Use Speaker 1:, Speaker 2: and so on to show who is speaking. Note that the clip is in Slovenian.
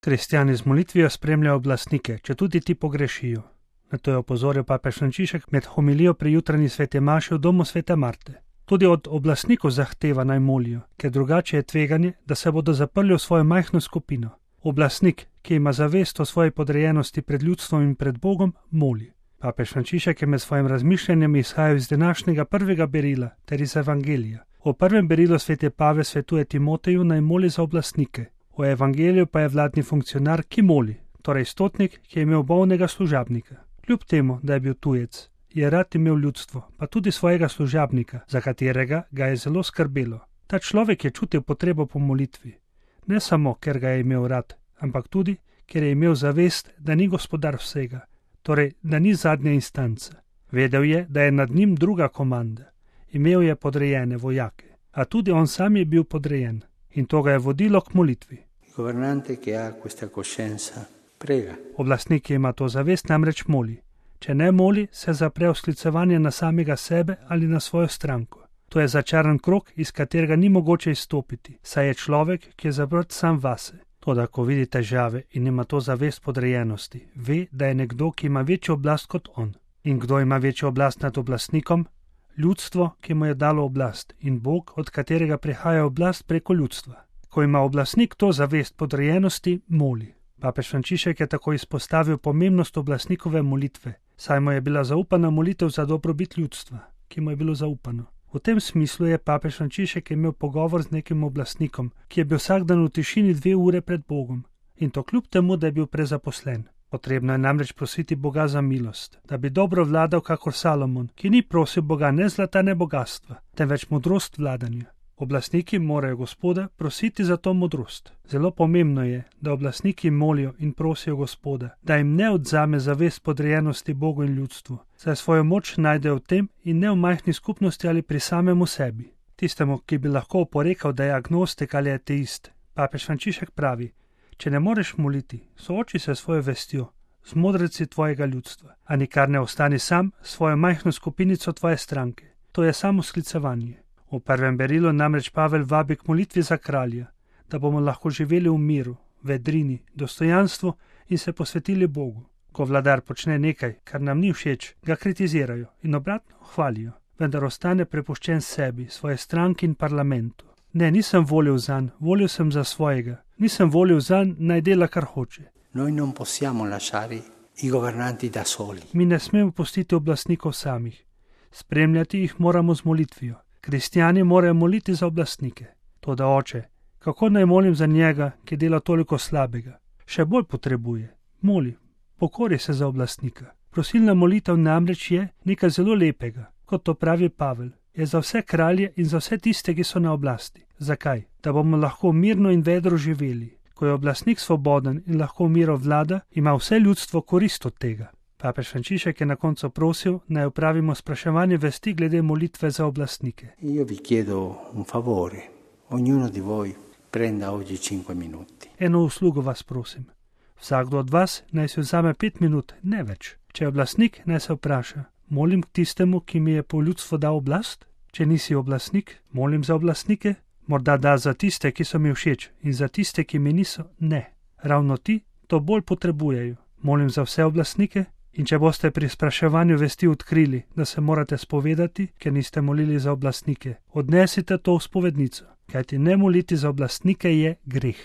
Speaker 1: Kristjani z molitvijo spremljajo oblastnike, četudi ti pogrešijo. Na to je opozoril papež Frančišek med homilijo pri jutranji sveti maši v domu svete Marte. Tudi od oblastnikov zahteva naj molijo, ker drugače je tveganje, da se bodo zaprli v svojo majhno skupino. Oblastnik, ki ima zavest o svoji podrejenosti pred ljudstvom in pred Bogom, moli. Papež Frančišek je med svojim razmišljanjem izhajal iz današnjega prvega berila ter iz Evangelija. V prvem berilu sveti Pavel svetuje Timoteju naj moli za oblastnike. V Evangeliju pa je vladni funkcionar, ki moli, torej stotnik, ki je imel bolnega služabnika. Kljub temu, da je bil tujec, je rad imel ljudstvo, pa tudi svojega služabnika, za katerega ga je zelo skrbelo. Ta človek je čutil potrebo po molitvi. Ne samo, ker ga je imel rad, ampak tudi, ker je imel zavest, da ni gospodar vsega, torej, da ni zadnja instanca. Vedel je, da je nad njim druga komanda. Imel je podrejene vojake, a tudi on sam je bil podrejen in to ga je vodilo k molitvi. Oblastnik, ki ima to zavest, namreč moli. Če ne moli, se zapre v sklicevanje na samega sebe ali na svojo stranko. To je začaran krog, iz katerega ni mogoče izstopiti, saj je človek, ki je zaprt sam vase. Toda, ko vidi težave in ima to zavest podrejenosti, ve, da je nekdo, ki ima večjo oblast kot on. In kdo ima večjo oblast nad oblastnikom? Ljudstvo, ki mu je dalo oblast, in Bog, od katerega prihaja oblast preko ljudstva. Ko ima oblastnik to zavest podrejenosti, moli. Papež Frančišek je tako izpostavil pomembnost oblastnikove molitve, saj mu je bila zaupana molitev za dobrobit ljudstva, ki mu je bilo zaupano. V tem smislu je papež Frančišek imel pogovor z nekim oblastnikom, ki je bil vsak dan v tišini 2 ure pred Bogom, in to kljub temu, da je bil prezaposlen. Potrebno je namreč prositi Boga za milost, da bi dobro vladal kakor Salomon, ki ni prosil Boga ne zlata, ne bogatstva, temveč modrost vladanja. Oblastniki morajo Gospoda prositi za to modrost. Zelo pomembno je, da oblastniki molijo in prosijo Gospoda, da jim ne odzame zavest podrejenosti Bogu in ljudstvu, saj svojo moč najdejo v tem in ne v majhni skupnosti ali pri samemu sebi. Tistemu, ki bi lahko oporekal, da je agnostik ali ateist, papež Frančišek pravi: če ne moreš moliti, sooči se s svojo vestjo, z modreci tvojega ljudstva, a nikar ne ostani sam s svojo majhno skupinico tvoje stranke. To je samo sklicevanje. V prvem berilu namreč Pavel vabi k molitvi za kralja, da bomo lahko živeli v miru, vedrini, dostojanstvu in se posvetili Bogu. Ko vladar počne nekaj, kar nam ni všeč, ga kritizirajo in obratno hvalijo, vendar ostane prepuščen sebi, svoje stranki in parlamentu. Ne, nisem volil zanj, volil sem za svojega. Nisem volil zanj, naj dela, kar hoče. Mi ne smemo pustiti oblastnikov samih. Spremljati jih moramo z molitvijo. Kristjani morajo moliti za oblastnike. Toda oče, kako naj molim za njega, ki dela toliko slabega? Še bolj potrebuje. Moli, pokori se za oblastnika. Prosilna molitev namreč je nekaj zelo lepega, kot to pravi Pavel. Je za vse kralje in za vse tiste, ki so na oblasti. Zakaj? Da bomo lahko mirno in vedro živeli. Ko je oblastnik svoboden in lahko miro vlada, ima vse ljudstvo korist od tega. Papež Frančišek je na koncu prosil, naj opravimo spraševanje vesti glede molitve za oblastnike. Eno uslugo vas prosim. Vsakdo od vas naj si vzame 5 minut, ne več. Če je oblastnik, naj se vpraša: molim k tistemu, ki mi je po ljudstvu dal oblast? Če nisi oblastnik, molim za oblastnike? Morda da za tiste, ki so mi všeč, in za tiste, ki mi niso, ne. Ravno ti to bolj potrebujejo. Molim za vse oblastnike. In če boste pri spraševanju vesti odkrili, da se morate spovedati, ker niste molili za oblastnike, odnesite to v spovednico, kajti ne moliti za oblastnike je greh.